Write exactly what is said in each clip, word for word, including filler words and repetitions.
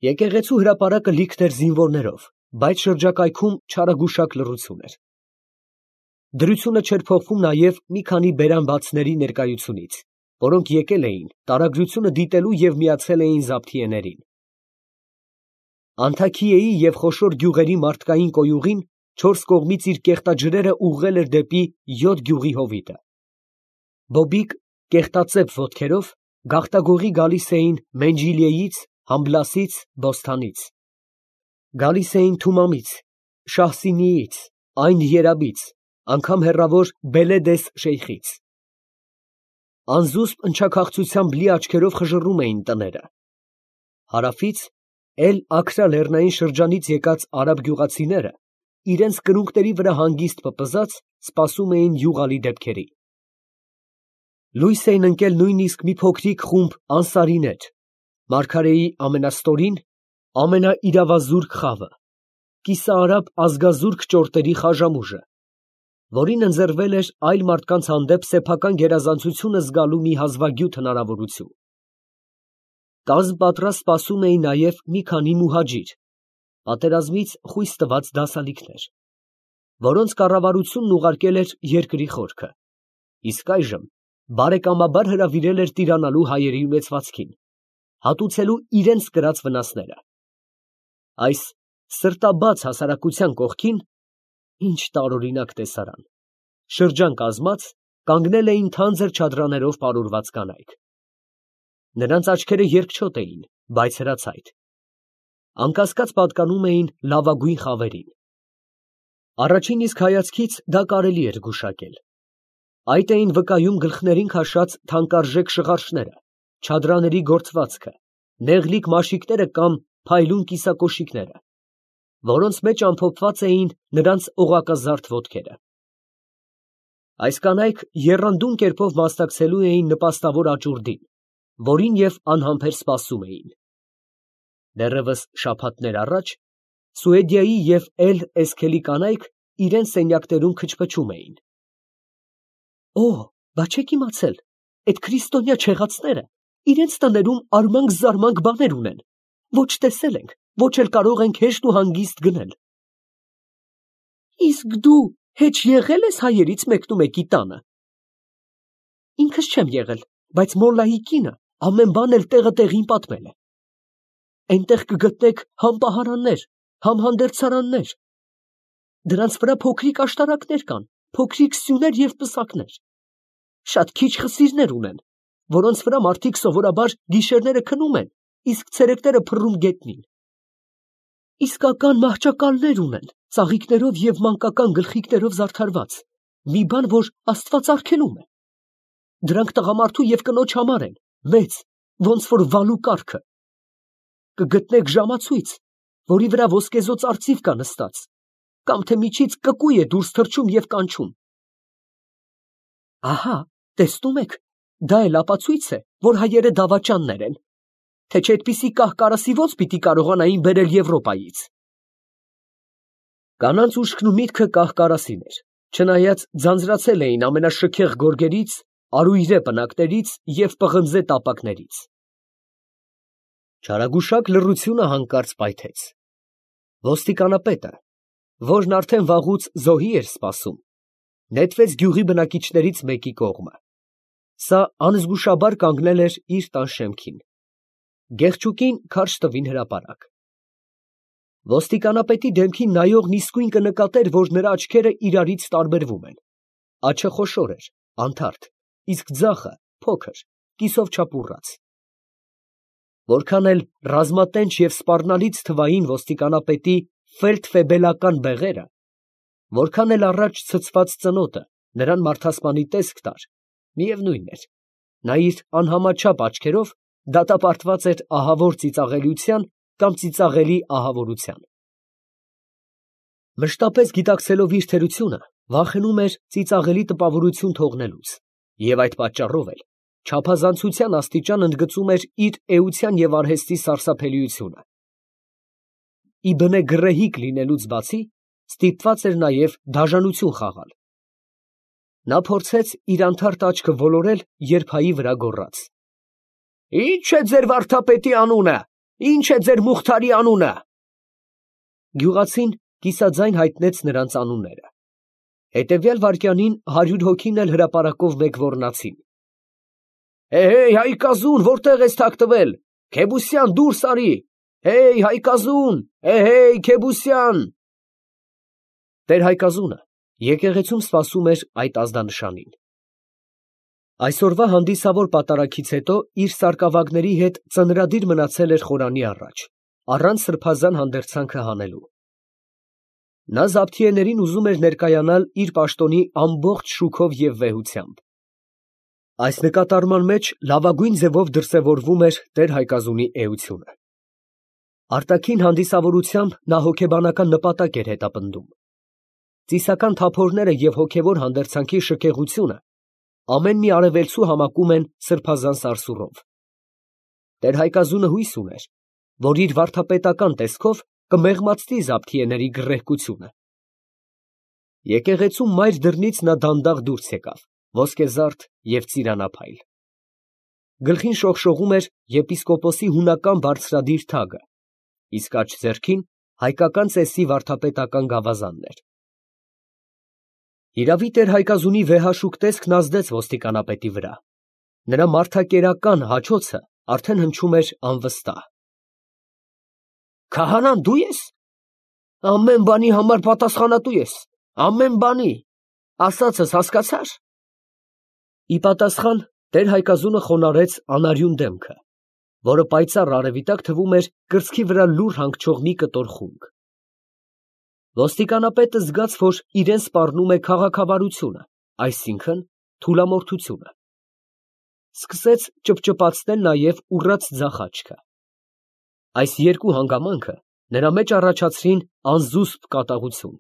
Եկեղեցու հրապարակը լիքն էր զինվորներով, բայց շրջակայքում չարագուշակ լռություն էր։ Դրությունը չէր փոխվում նաև մի քանի բերանբացների ներկայությունից, որոնք եկել էին տարագրությունը դիտելու և միացել էին զաբթիեներին։ Անթաքիեի և խոշոր գյուղերի մարդկային կոյուղին չորս կողմից իր կեղտաջրերը ուղղել էր դեպի յոթ գյուղի հովիտը։ Բոբիկ կեղտածեպ ոտքերով գաղտագողի գալիս էին Մենջիլիեից, Համբլասից, Բոսթանից։ Գալիս էին Թումամից, Շահսինիից, Այն Երաբից, անգամ հեռավոր Բելեդես շեյխից։ Անզուսպ ընչաքաղցությամբ լի աչքերով խժռում էին տները։ Հարավից, Էլ֊Աքրա լեռնային շրջանից եկած արաբ գյուղացիները, իրենց կրունկների վրա հանգիստ պպզած, սպասում էին յուղալի դեպքերի։ Լույս էին ընկել նույնիսկ մի փոքրիկ խումբ անսարիներ, մարգարեի ամենաստորին, ամենաիրավազուրկ խավը, կիսաարաբ ազգազուրկ ճորտերի խաժամուժը, որին ընձեռվել էր այլ մարդկանց հանդեպ սեփական գերազանցությունը զգալու մի հազվագյուտ հնարավորություն։ Կազմ պատրաստ սպասում էին նաև մի քանի մուհաջիր, պատերազմից խույս տված դասալիքներ, որոնց կառավարությունն ուղարկել էր երկրի խորքը, իսկ այժմ բարեկամաբար հրավիրել էր տիրանալու հայերի ունեցվածքին, հատուցելու իրենց կրած վնասները։ Այս սրտաբաց հասարակության կողքին, ինչ տարօրինակ տեսարան, շրջան կազմած, կանգնել էին թանձր չադրաներով պարուրված կանայք։ Նրանց աչքերը երկչոտ էին, բայց հրացայտ, անկասկած պատկանում էին լավագույն խավերին։ Առաջին իսկ հայացքից դա կարելի էր գուշակել։ Այդ էին վկայում գլխներին քաշած թանկարժեք շղարշները, չադրաների գործվածքը, նեղլիկ մաշիկները կամ փայլուն կիսակոշիկները, որոնց մեջ ամփոփված էին նրանց օղակազարդ ոտքերը։ Այս կանայք եռանդուն կերպով մասնակցելու էին նպաստավոր աճուրդին, որին և անհամբեր սպասում էին։ Դեռևս շաբաթներ առաջ Սուեդիայի և Էլ֊Էսքելի կանայք իրենց սենյակներում քչփչում էին. «Օ, բա չեք իմացել, էդ քրիստոնյա չեղածները իրենց տներում արմանք֊զարմանք բաներ ունեն, ոչ տեսել ենք, ոչ էլ կարող ենք հեշտ ու հանգիստ գնել»։ «Իսկ դու հեչ եղե՞լ ես հայերից մեկնումեկի տանը»։ «Ինքս չեմ եղել, բայց մոլլայի կինը ամեն բան էլ տեղը տեղին պատմել է։ Այնտեղ կգտնեք համ պահարաններ, համ հանդերձարաններ, դրանց վրա փոքրիկ աշտարակներ կան, փոքրիկ սյուներ և պսակներ, շատ քիչ խսիրներ ունեն, որոնց վրա մարդիկ սովորաբար գիշերները քնում են, իսկ ցերեկները փռում գետնին։ Իսկական մահճակալներ ունեն, ծաղիկներով և մանկական գլխիկներով զարդարված, մի բան, որ Աստված արգելում է։ Դրանք տղամարդու և կնոջ համար են, մեծ, ոնց որ վալու կառքը։ Կգտնեք ժամացույց, որի վրա ոսկեզօծ արծիվ կա նստած, կամ թե միջից կկույ է դուրս թռչում և կանչում։ Ահա, տեսնում եք, դա էլ ապացույց է, որ հայերը դավաճաններ են, թե չէ այդպիսի կահ֊կարասի ոնց պիտի կարողանային բերել Եվրոպայից»։ Կանանց ուշքն ու միտքը կահ֊կարասին էր, չնայած ձանձրացել էին ամենաշքեղ գորգերից, արույրե պնակներից և պղնձե տապակներից։ Չարագուշակ լռությունը հանկարծ պայթեց։ Ոստիկանապետը, որն արդեն վաղուց զոհի էր սպասում, նետվեց գյուղի բնակիչներից մեկի կողմը։ Սա անզգուշաբար կանգնել էր իր տան շեմքին։ Գեղչուկին քարշ տվին հրապարակ։ Ոստիկանապետի դեմքին նայողն իսկույն կնկատեր, որ նրա աչքերը իրարից տարբերվում են։ Աջը խոշոր էր, անթարթ, իսկ ձախը փոքր, կիսով չափուռած։ Որքան էլ ռազմատենչ և սպառնալից թվային ոստիկանապետի ֆելդֆեբելական բեղերը, որքան էլ առաջ ցցված ծնոտը նրան մարդասպանի տեսք տար, միևնույն էր, նա իր անհամաչափ աչքերով դատապարտված էր ահավոր ծիծաղելիության կամ ծիծաղելի ահավորության։ Մշտապես գիտակցելով իր թերությունը, վախենում էր ծիծաղելի տպավորություն թողնելուց, և այդ պատճառով էլ չափազանցության աստիճան ընդգծում էր իր էության և արհեստի սարսափելիությունը։ Ի բնե գռեհիկ լինելուց բացի, ստիպված էր նաև դաժանություն խաղալ։ Նա փորձեց իր անթարթ աչքը ոլորել, երբ հայի վրա գոռաց. «Ի՞նչ է ձեր վարդապետի անունը, Ինչ է ձեր Մուխթարի անունը։ Գյուղացին կիսաձայն հայտնեց նրանց անունները։ Հետևյալ վայրկյանին հարյուր հոգին էլ հրապարակով մեկ ոռնացին. Հեյ, Հայկազուն, որտեղ ես թաքնվել, Քեբուսյան, դուրս արի, հեյ, Հայկազուն, հեյ, Քեբուսյան։ Տեր Հայկազունը եկեղեցում սպասում էր այդ ազդանշանին։ Այսօրվա հանդիսավոր պատարագից հետո իր սարկավագների հետ ծնրադիր մնացել էր խորանի առաջ, առանց սրբազան հանդերձանքը հանելու։ Նա զավթիեներին ուզում էր ներկայանալ իր պաշտոնի ամբողջ շուքով և վեհությամբ։ Այս նկատառման մեջ լավագույն ձևով դրսևորվում էր տեր Հայկազունի էությունը։ Արտաքին հանդիսավորությամբ նա հոգեբանական նպատակ էր հետապնդում։ Ծիսական թափորները և հոգևոր հանդերձանքի շքեղությունը ամեն մի արևելցու համակում են սրբազան սարսուռով։ Տեր Հայկազունը հույս ուներ, որ իր վարդապետական տեսքով կմեղմացնի զավթիեների գռեհկությունը։ Եկեղեցու մայր դռնից նա դանդաղ դուրս եկավ, ոսկեզարդ և ծիրանափայլ։ Գլխին շողշողում էր եպիսկոպոսի հունական բարձրադիր թագը, իսկ աջ ձեռքին հայկական ծեսի վարդապետական գավազանն էր։ Հիրավի տեր Հայկազունի վեհաշուկ տեսքն ազդեց ոստիկանապետի վրա։ Նրա մարդակերական հաչոցը արդեն հնչում էր անվստահ։ Քահանան դու ես։ Ամեն բանի համար պատասխանատու ես, ամեն բանի, ասածս հասկացա՞ր։ Ի պատասխան տեր Հայկազունը խոնարհեց անարյուն դեմքը, որը պայծառ արևի տակ թվում էր կրծքի վրա լուռ հանգչող մի կտոր խունկ։ Ոստիկանապետը զգաց, որ իրեն սպառնում է քաղաքավարությունը, այսինքն թուլամորթությունը։ Սկսեց ճպճպացնել նաև ուռած ձախ աչքը։ Այս երկու հանգամանքը նրա մեջ առաջացրին անզուսպ կատաղություն։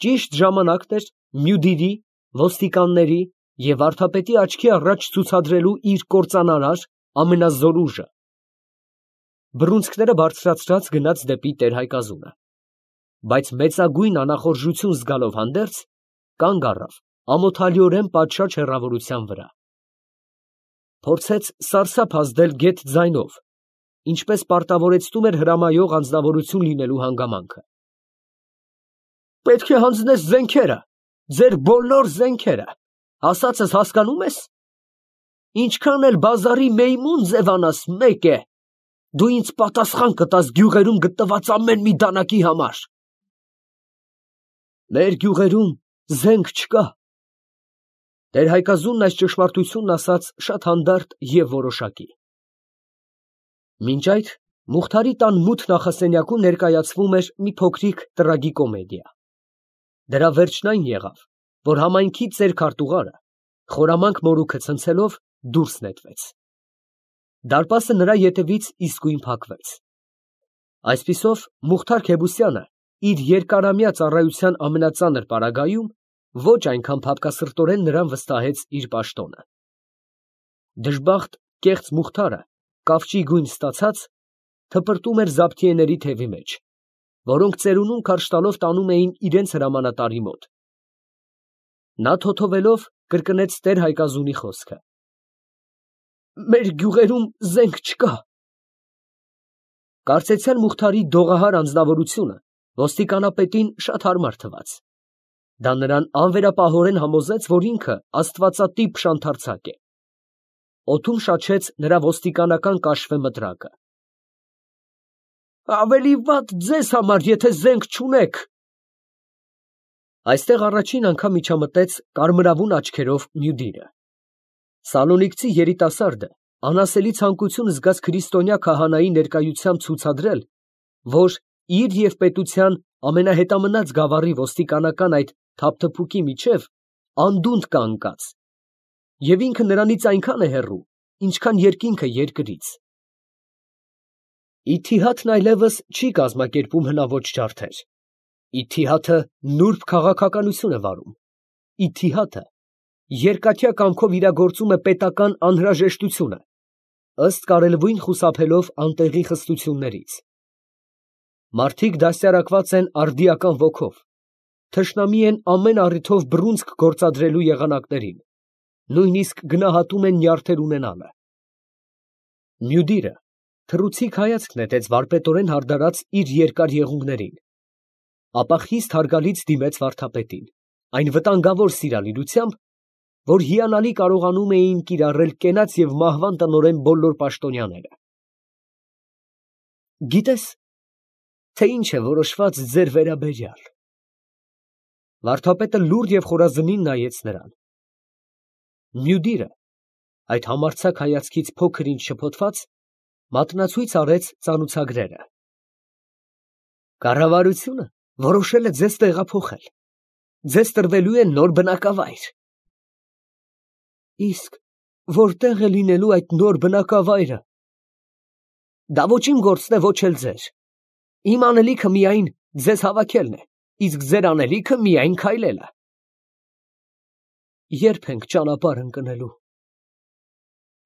Ճիշտ ժամանակն էր Մյուդիրի, ոստիկանների և վարդապետի աչքի առաջ ցուցադրելու իր կործանարար ամենազոր ուժը։ Բռունցքները բարձրացրած գնաց դեպի տեր Հայկազունը, բայց մեծագույն անախորժություն զգալով հանդերձ, կանգ առավ ամոթալիորեն պատշաճ հեռավորության վրա։ Փորձեց սարսափ ազդել գեթ ձայնով, ինչպես պարտավորեցնում էր հրամայող անձնավորություն լինելու հանգամանքը։ Պետք է հանձնես զենքերը, ձեր բոլոր զենքերը, ասածս հասկանում ես։ Ինչքան էլ բազարի մեյմուն ձևանաս, մեկ է, դու ինձ պատասխան կտաս գյուղերում գտնված ամեն մի դանակի համար։ Մեր գյուղերում զենք չկա։ Տեր Հայկազունն այս ճշմարտությունն ասաց շատ հանդարտ և որոշակի։ Մինչ այդ Մուխթարի տան մութ նախասենյակում ներկայացվում էր մի փոքրիկ տրագիկոմեդիա։ Դրա վերջն այն եղավ, որ համայնքի ծեր քարտուղարը, խորամանկ մորուքը ցնցելով, դուրս նետվեց։ Դարպասը նրա ետևից իսկույն փակվեց։ Այսպիսով Մուխթար Քեբուսյանը իր երկարամյա ծառայության ամենածանր պարագայում ոչ այնքան փափկասրտորեն նրան վստահեց իր պաշտոնը։ Դժբախտ կեղծ Մուխթարը, կավճի գույն ստացած, թպրտում էր զավթիեների թևի մեջ, որոնք ծերունուն քարշ տալով տանում էին իրենց հրամանատարի մոտ։ Նա թոթովելով կրկնեց տեր Հայկազունի խոսքը. Մեր գյուղերում զենք չկա։ Կարծեցյալ Մուխթարի դողահար անձնավորությունը ոստիկանապետին շատ հարմար թվաց։ Դա նրան անվերապահորեն համոզեց, որ ինքը աստվածատիպ շանթարցակ է։ Օդում շաչեց նրա ոստիկանական կաշվե մտրակը։ Ավելի վատ ձեզ համար, եթե զենք չունեք։ Այստեղ առաջին անգամ միջամտեց կարմրավուն աչքերով Մյուդիրը։ Սալոնիկցի երիտասարդը անասելի ցանկություն զգաց քրիստոնյա քահանայի ներկայությամբ ցուցադրել, որ իր և պետության ամենահետամնաց գավառի ոստիկանական այդ թափթփուկի միջև անդունդ կա ընկած, և ինքը նրանից այնքան է հեռու, ինչքան երկինքը երկրից։ Իթիհադն այլևս չի կազմակերպում հնաոճ ջարդեր։ Իթիհադը նուրբ քաղաքականություն է վարում։ Իթիհադը երկաթյա կամքով իրագործում է պետական անհրաժեշտությունը, ըստ կարելույն խուսափելով անտեղի խստություններից։ Մարդիկ դաստիարակված են արդիական ոգով, թշնամի են ամեն առիթով բռունցք գործադրելու եղանակներին, նույնիսկ գնահատում են նյարդեր ունենալը։ Մյուդիրը Թռուցիկ հայացք նետեց վարպետորեն հարդարած իր երկար եղունգներին, ապա խիստ հարգալից դիմեց վարդապետին, այն վտանգավոր սիրալիրությամբ, որ հիանալի կարողանում էին կիրառել կենաց և մահվան տնօրեն բոլոր պաշտոնյաները։ Գիտե՞ս, թե ինչ է որոշված ձեր վերաբերյալ։ Վարդապետը լուռ և խորազնին նայեց նրան։ Մյուդիրը, այդ համարձակ հայացքից փոքր ինչ շփոթված, մատնացույց արեց ծանուցագրերը։ Կառավարությունը որոշել է ձեզ տեղափոխել, ձեզ տրվելու է նոր բնակավայր։ Իսկ որտե՞ղ է լինելու այդ նոր բնակավայրը։ Դա ոչ իմ գործն է, ոչ էլ ձեր։ Իմ անելիքը միայն ձեզ հավաքելն է, իսկ ձեր անելիքը միայն քայլելը։ Ե՞րբ ենք ճանապարհ ընկնելու։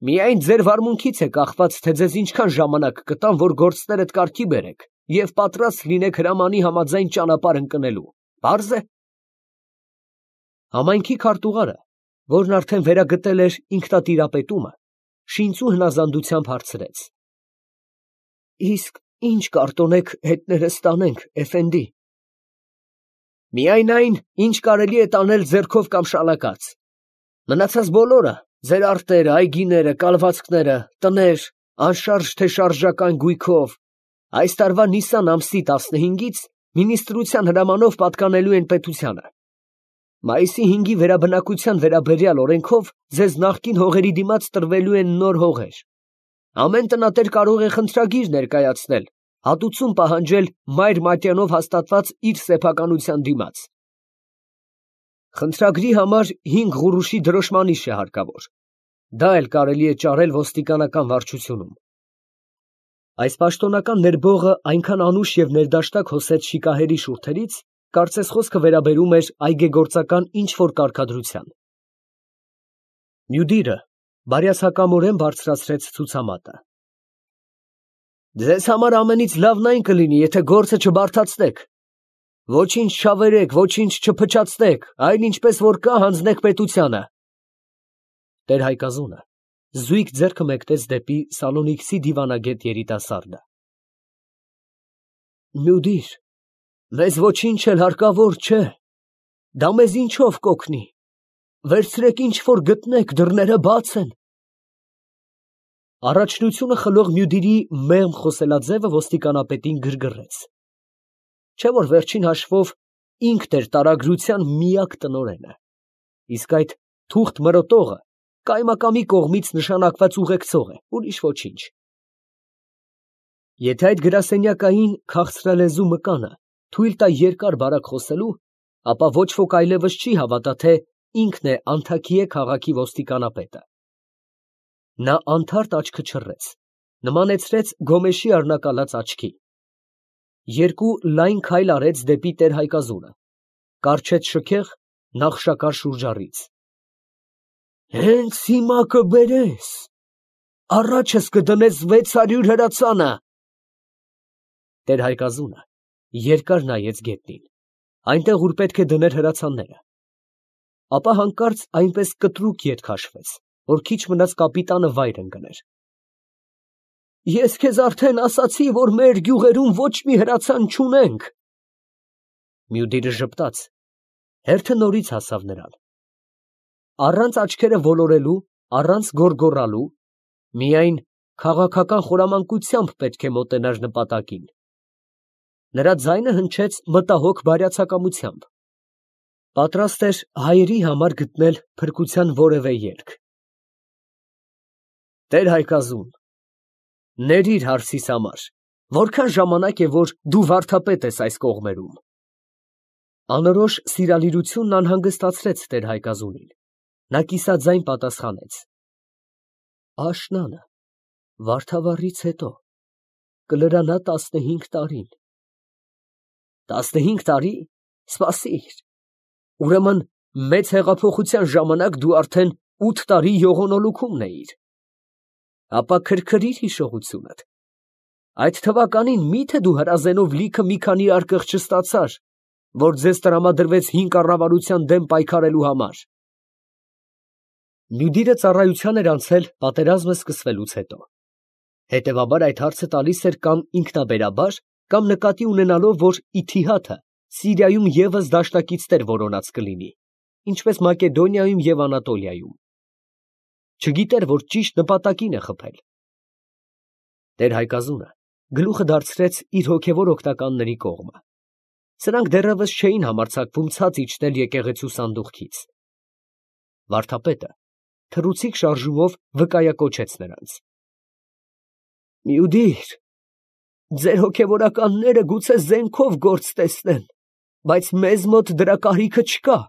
Միայն ձեր վարմունքից է կախված, թե ձեզ ինչքան ժամանակ կտամ, որ գործներդ կարգի բերեք և պատրաստ լինեք հրամանի համաձայն ճանապարհ ընկնելու, պարզ է։ Համայնքի քարտուղարը, որն արդեն վերագտել էր ինքնատիրապետումը, շինծու հնազանդությամբ հարցրեց. Իսկ ի՞նչ կարտոնեք հետներս տանենք, էֆենդի։ Միայն այն, ինչ կարելի է տանել ձեռքով կամ շալակած։ Մնացած բոլորը, ձեր արտերը, այգիները, կալվածքները, տներ, անշարժ թե շարժական գույքով, այս տարվա Նիսան ամսի տասնհինգից մինիստրության հրամանով պատկանելու են պետությանը։ Մայիսի հինգի վերաբնակության վերաբերյալ օրենքով ձեզ նախկին հողերի դիմաց տրվելու են նոր հողեր։ Ամեն տնատեր կարող է խնդրագիր ներկայացնել, հատուցում պահանջել մայր մատյանով հաստատված իր սեփականության դիմաց։ Խնդրագրի համար հինգ ղուրուշի դրոշմանիշ է հարկավոր։ Դա էլ կարելի է ճարել ոստիկանական վարչությունում։ Այս պաշտոնական ներբողը այնքան անուշ և ներդաշտակ հոսեց շիկահերի շուրթերից, կարծես խոսքը վերաբերում էր այգեգործական ինչ-որ կարգադրության։ Մյուդիրը բարյացակամորեն բարձրացրեց ցուցամատը։ Ձեզ համար ամենից լավն այն կլինի, եթե գործը չբարդացնեք։ Ոչինչ չավերեք, ոչինչ չփչացնեք, այլ ինչպես որ կա, հանձնեք պետությանը։ Տեր Հայկազունը զույգ ձեռքը մեկնեց դեպի սալոնիքսի դիվանագետ երիտասարդը։ Մյուդիր, մեզ ոչինչ էլ հարկավոր չէ, դա մեզ ինչով կօգնի, վերցրեք ինչ որ գտնեք, դռները բաց են։ Առաջնությունը խլող Մյուդիրի մեղմ խոսելաձևը ոստիկանապետին գրգռեց։ Չէ՞ որ վերջին հաշվով ինքն էր տարագրության միակ տնօրենը, իսկ այդ թուղթ մրոտողը կայմակամի կողմից նշանակված ուղեկցող է, ուրիշ ոչինչ։ Եթե այդ գրասենյակային քաղցրալեզու մկանը թույլ տա երկար֊բարակ խոսելու, ապա ոչ ոք այլևս չի հավատա, թե ինքն է Անթաքիե քաղաքի ոստիկանապետը։ Նա անթարթ աչքը չռեց, նմանեցրեց գոմեշի առնակալած աչքի։ Երկու լայն քայլ արեց դեպի տեր Հայկազունը, կառչեց շքեղ նախշակար շուրջառից։ Հենց հիմա կբերես, առաջս կդնես վեց հարյուր հրացանը։ Տեր Հայկազունը երկար նայեց գետնին, այնտեղ, ուր պետք է դներ հրացանները, ապա հանկարծ այնպես կտրուկ ետ քաշվեց, որ քիչ մնաց կապիտանը վայր ընկներ։ Ես քեզ արդեն ասացի, որ մեր գյուղերում ոչ մի հրացան չունենք։ Մյուդիրը ժպտաց, հերթը նորից հասավ նրան։ Առանց աչքերը ոլորելու, առանց գոռգոռալու, միայն քաղաքական խորամանկությամբ պետք է մոտենար նպատակին։ Նրա ձայնը հնչեց մտահոգ բարյացակամությամբ։ Պատրաստ էր հայերի համար գտնել փրկության որևէ ելք։ Տեր Հայկազուն, ներիր հարցիս համար, որքան ժամանակ է, որ դու վարդապետ ես այս կողմերում։ Անորոշ սիրալիրությունն անհանգստացրեց տեր Հայկազունին։ Նա կիսաձայն պատասխանեց. Աշնանը, Վարդավառից հետո, կլրանա տասնհինգ տարին։ Տասնհինգ տարի, սպասիր, ուրեմն մեծ հեղափոխության ժամանակ դու արդեն ութ տարի յողոնոլուքում էիր։ Ապա քրքրիր հիշողությունդ, այդ թվականին մի՞թե դու հրազենով լիքը մի քանի արկղ չստացար, որ ձեզ տրամադրվեց հին կառավարության դեմ պայքարելու համար։ Մյուդիրը ծառայության էր անցել պատերազմը սկսվելուց հետո։ Հետևաբար այդ հարցը տալիս էր կամ ինքնաբերաբար, կամ նկատի ունենալով, որ Իթիհադը Սիրիայում ևս դաշնակիցներ որոնած կլինի, ինչպես Մակեդոնիայում և Անատոլիայում։ Չգիտեր, որ ճիշտ նպատակին է խփել։ Տեր Հայկազունը գլուխը դարձրեց իր հոգևոր օգնականների կողմը։ Սրանք դեռևս չէին համարձակվում ցած իջնել եկեղեցու սանդուղքից։ Վարդապետը թռուցիկ շարժումով վկայակոչեց նրանց. «Մյուդիր, ձեր հոգևորականները գուցե զենքով գործ տեսնեն, բայց մեզ մոտ դրա կարիքը չկա»։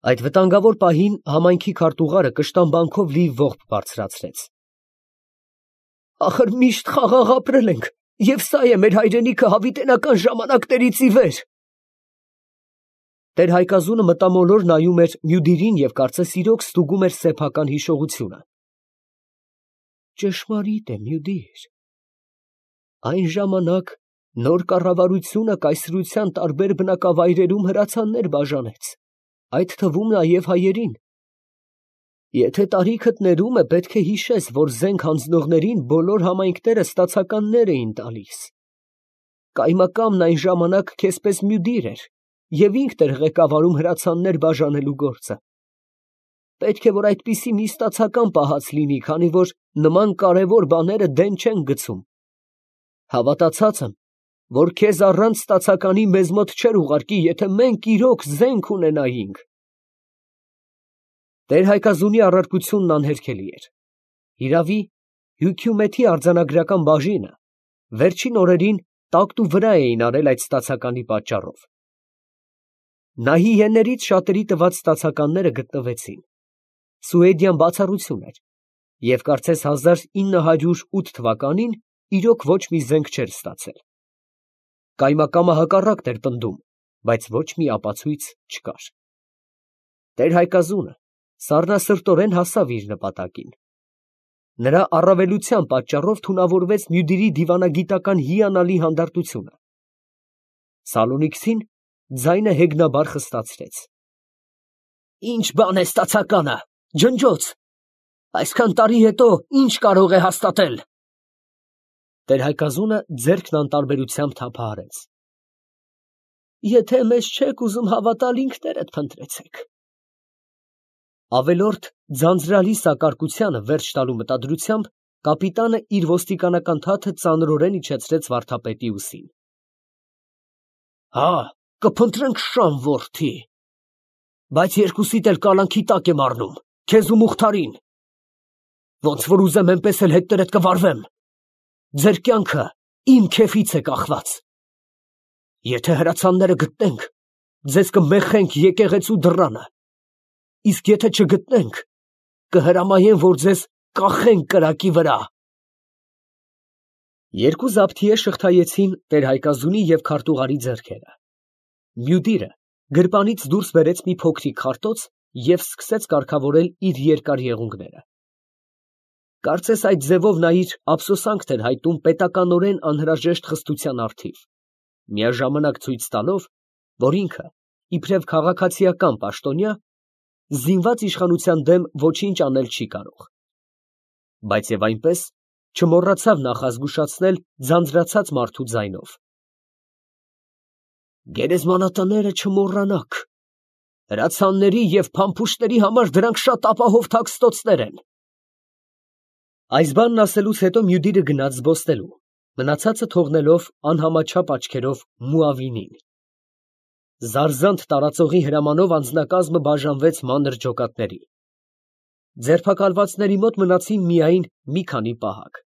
Այդ վտանգավոր պահին համայնքի քարտուղարը կշտամբանքով լի ողբ բարձրացրեց։ «Ախր միշտ խաղաղ ապրել ենք, և սա է մեր հայրենիքը հավիտենական ժամանակներից ի վեր»։ Տեր Հայկազունը մտամոլոր նայում էր Մյուդիրին և կարծես իրոք ստուգում էր սեփական հիշողությունը։ Ճշմարիտ է, Մյուդիր, այն ժամանակ նոր կառավարությունը կայսրության տարբեր բնակավայրերում հրացաններ բաժանեց, այդ թվում նաև հայերին։ Եթե տարիքդ ներում է, պետք է հիշես, որ զենք հանձնողներին բոլոր համայնքները ստացականներ էին տալիս։ Կայմակամն այն ժամանակ քեզ պես Մյուդիր էր և ինքն էր ղեկավարում հրացաններ բաժանելու գործը։ Պետք է, որ այդպիսի մի ստացական պահած լինի, քանի որ նման կարևոր բաները դեն չեն գցում։ Հավատացած եմ, որ քեզ առանց ստացականի մեզ մոտ չէր ուղարկի, եթե մենք իրոք զենք ունենայինք։ Տեր Հայկազունի առարկությունն անհերքելի էր։ Հիրավի, Հյությումեթի արձանագրական բաժինը վերջին օրերին տակտու վրա էին արել այդ ստացականի պատճառով։ Նահիեներից շատերի տված ստացականները գտնվեցին։ Սուեդյան բացառություն էր, և կարծես հազար ինը հարյուր ութ թվականին իրոք ոչ մի զենք չէր ստացել։ Կայմակամը հակառակն էր պնդում, բայց ոչ մի ապացույց չկար։ Տեր Հայկազունը սառնասրտորեն հասավ իր նպատակին։ Նրա առավելության պատճառով թունավորվեց Մյուդիրի դիվանագիտական հիանալի հանդարտությունը։ Սալոնիքսին ձայնը հեգնաբար խստացրեց. «Ի՞նչ բան է ստացականը, ջնջոց, այսքան տարի հետո ի՞նչ կարող է հաստատել»։ Տեր Հայկազունը ձեռքն անտարբերությամբ թափահարեց. «Եթե մեզ չեք ուզում հավատալ, ինքներդ փնտրեցեք»։ Ավելորդ ձանձրալի սակարկությանը վերջ տալու մտադրությամբ կապիտանը իր ոստիկանական թաթը ծանրորեն իջեցրեց վարդապետի ուսին։ «Հա, կփնտրենք շան որդի, բայց երկուսիդ էլ կալանքի տակ եմ առնում, քեզ ու Մուխթարին։ Ոնց որ ուզեմ, էնպես էլ հետներդ կվարվեմ։ Ձեր կյանքը իմ քեֆից է կախված։ Եթե հրացանները գտնենք, ձեզ կմեխենք եկեղեցու դռանը, իսկ եթե չգտնենք, կհրամայեմ, որ ձեզ կախենք կրակի վրա»։ Երկու զաբթիե շղթայեցին տեր Հայկազունի և քարտուղարի ձեռքերը։ Մյուդիրը գրպանից դուրս բերեց մի փոքրիկ խարտոց և սկսեց կարգավորել իր երկար եղունգները։ Կարծես այդ ձևով նա իր ափսոսանքն էր հայտնում պետականորեն անհրաժեշտ խստության առթիվ, միաժամանակ ցույց տալով, որ ինքը, իբրև քաղաքացիական պաշտոնյա, զինված իշխանության դեմ ոչինչ անել չի կարող։ Բայց և այնպես չմոռացավ նախազգուշացնել ձանձրացած մարդու ձայնով. «Գերեզմանատները չմոռանաք, հրացանների և փամփուշտների համար դրանք շատ ապահով թաքստոցներ են»։ Այս բանն ասելուց հետո Մյուդիրը գնաց զբոսնելու, մնացածը թողնելով անհամաչափ աչքերով Մուավինին։ Զարզանտ տարածողի հրամանով անձնակազմը բաժանվեց մանր ջոկատների։ Ձերբակալվածների մոտ մնացին միայն մի քանի պահակ։